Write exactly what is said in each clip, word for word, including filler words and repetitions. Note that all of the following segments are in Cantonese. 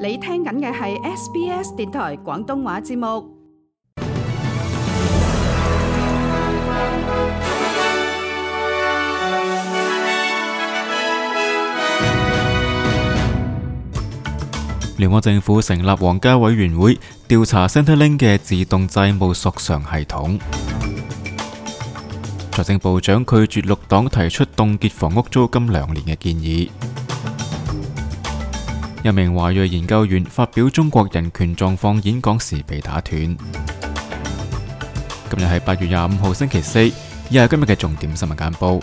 你聽緊嘅係 S B S 電台廣東話節目。聯邦政府成立皇家委員會調查 Centrelink 嘅自動債務索償系統。財政部長拒絕綠黨提出凍結房屋租金兩年嘅建議。一名華裔研究員發表中國人權狀況演講時被打斷。今日係八月廿五號星期四，以下今日嘅重點新聞簡報。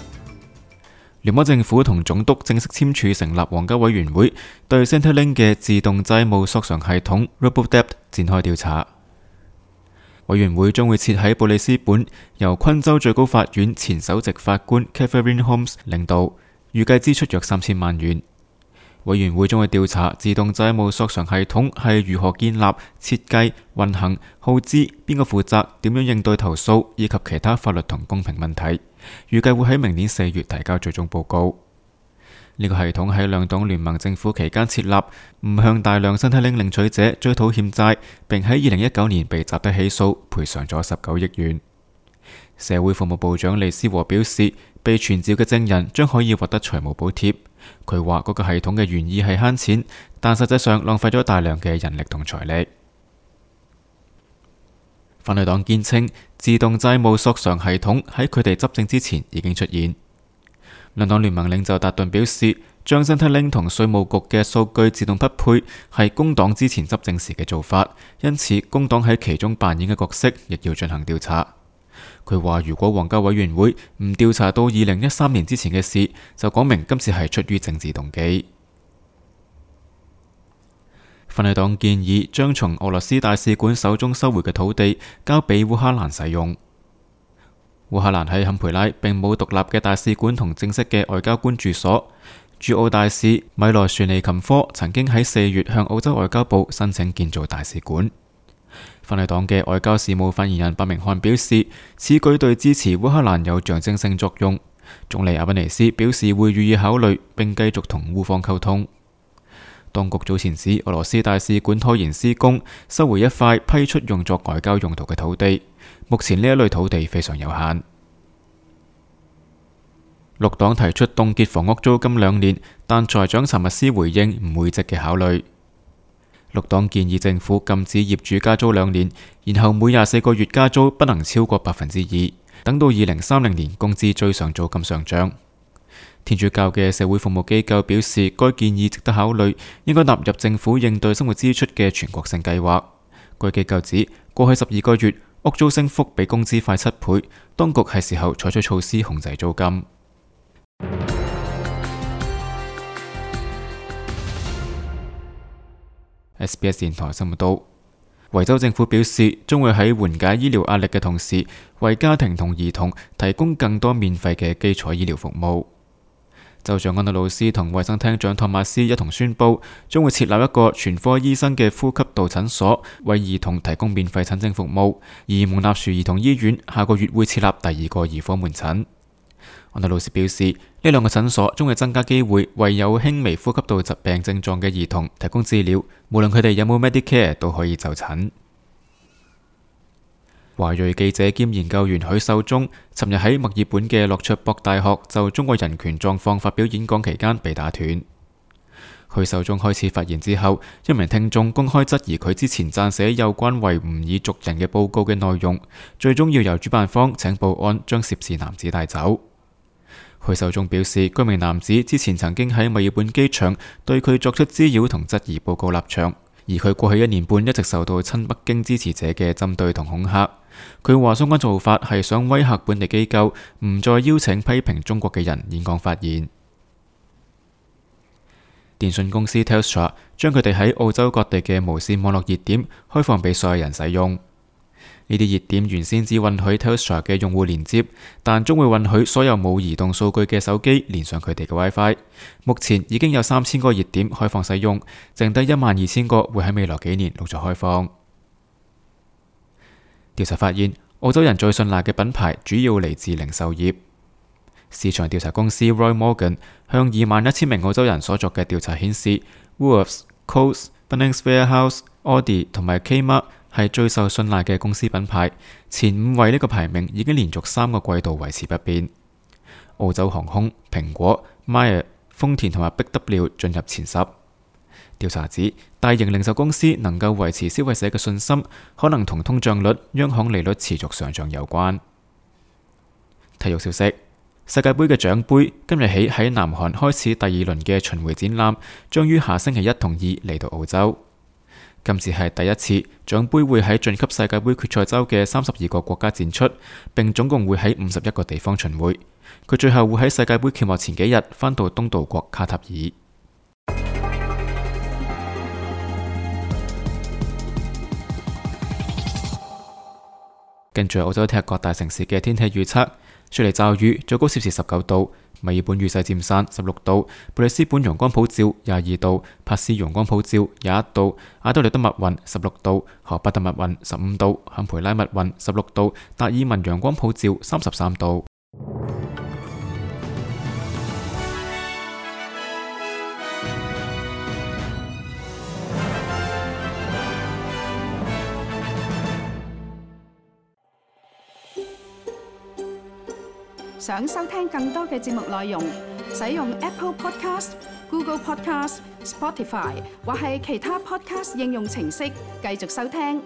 聯邦政府同總督正式簽署成立皇家委員會，對 Centrelink 嘅自動債務索償系統 RoboDebt 展開調查。委員會將會設喺布里斯本，由昆州最高法院前首席法官 Catherine Holmes 領導，預計支出約三千萬元。委員會將會調查自動債務索償系統係如何建立、設計、運行、耗資、邊個負責、點樣應對投訴，以及其他法律同公平問題。預計會喺明年四月提交最終報告。呢、這個系統喺兩黨聯盟政府期間設立，唔向大量Centrelink領取者追討欠債，並喺二零一九年被集體起訴，賠償咗十九億元。社會服務部長利斯和表示，被傳召嘅證人將可以獲得財務補貼。佢話嗰個系統嘅原意係慳錢，但實際上浪費咗大量嘅人力同財力。反對黨堅稱，自動債務索償系統喺佢哋執政之前已經出現。兩黨聯盟領袖達頓表示，將 Centrelink 同稅務局嘅數據自動匹配係工黨之前執政時嘅做法，因此工黨喺其中扮演嘅角色亦要進行調查。佢話如果皇家委員會唔調查到二零一三年之前嘅事，就講明今次係出於政治動機。反對黨建議將從俄羅斯大使館手中收回嘅土地交俾烏克蘭使用。烏克蘭喺坎培拉並冇獨立嘅大使館同正式嘅外交官住所。駐澳大使米羅什尼琴科曾經喺四月向澳洲外交部申請建造大使館。反對黨嘅外交事務發言人白明漢表示，此舉對支持烏克蘭有象徵性作用。總理阿賓尼斯表示會予以考慮，並繼續同烏方溝通。當局早前指俄羅斯大使館拖延施工，收回一塊批出用作外交用途嘅土地。目前呢一類土地非常有限。綠黨提出凍結房屋租金兩年，但財長查密斯回應唔會積極考慮。綠黨建議政府禁止業主加租兩年，然後每廿四個月加租不能超過百分之二，等到二零三零年工資追上租金上漲。天主教嘅社會服務機構表示，該建議值得考慮，應該納入政府應對生活支出嘅全國性計劃。該機構指，過去十二個月屋租升幅比工資快七倍，當局係時候採取措施控制租金。S B S 電台新聞道，維州政府表示，將會喺緩解醫療壓力嘅同時，為家庭同兒童提供更多免費嘅基礎醫療服務。州長安德魯斯同衛生廳長托馬斯一同宣布，將會設立一個全科醫生嘅呼吸道診所，為兒童提供免費診症服務。而蒙納殊兒童醫院下個月會設立第二個兒科門診。安德魯斯表示，呢兩個診所將會增加機會，為有輕微呼吸道疾病症狀嘅兒童提供治療，無論佢哋有冇 Medicare 都可以就診。華裔記者兼研究員許秀中尋日喺墨爾本嘅洛卓博大學就中國人權狀況發表演講期間被打斷。許秀中開始發言之後，一名聽眾公開質疑佢之前撰寫有關維吾爾族人嘅報告嘅內容，最終要由主辦方請保安將涉事男子帶走。許秀中表示，該名男子之前曾經喺墨爾本機場對佢作出滋擾同質疑報告立場，而佢過去一年半一直受到親北京支持者嘅針對同恐嚇。佢話相關做法係想威嚇本地機構，唔再邀請批評中國嘅人演講發言。電信公司 Telstra 將佢哋喺澳洲各地嘅無線網絡熱點開放俾所有人使用。呢啲熱點原先只允許 Telstra 嘅用戶連接，但將會允許所有冇移動數據嘅手機連上佢哋嘅 WiFi。目前已經有三千個熱點開放使用，剩低一萬二千個會喺未來幾年陸續開放。調查發現，澳洲人最信賴嘅品牌主要嚟自零售業。市場調查公司 Roy Morgan 向二萬一千名澳洲人所作嘅調查顯示，Woolworths、Coles、Bunnings Warehouse、Aldi 同埋 Kmart 係最受信賴嘅公司品牌，前五位呢個排名已經連續三個季度維持不變。澳洲航空、蘋果、Myer、豐田同埋 Big W 進入前十。調查指，大型零售公司能夠維持消費者嘅信心，可能同通脹率、央行利率持續上漲有關。體育消息：世界盃嘅獎盃今日起喺南韓開始第二輪嘅巡迴展覽，將於下星期一同二嚟到澳洲。今次係第一次獎盃會喺晉級世界盃決賽周嘅三十二個國家展出，並總共會喺五十一個地方巡迴。佢最後會喺世界盃揭幕前幾日返到東道國卡塔爾。跟住澳洲踢各大城市嘅天氣預測：雪梨驟雨，最高攝氏十九度；墨爾本雨勢漸散，十六度；布里斯本陽光普照，廿二度；珀斯陽光普照，廿一度；阿德萊德密雲，十六度；荷巴特密雲，十五度；坎培拉密雲，十六度；達爾文陽光普照，三十三度。想收聽更多嘅節目內容，使用 Apple Podcast、Google Podcast、Spotify 或係其他 Podcast 應用程式繼續收聽。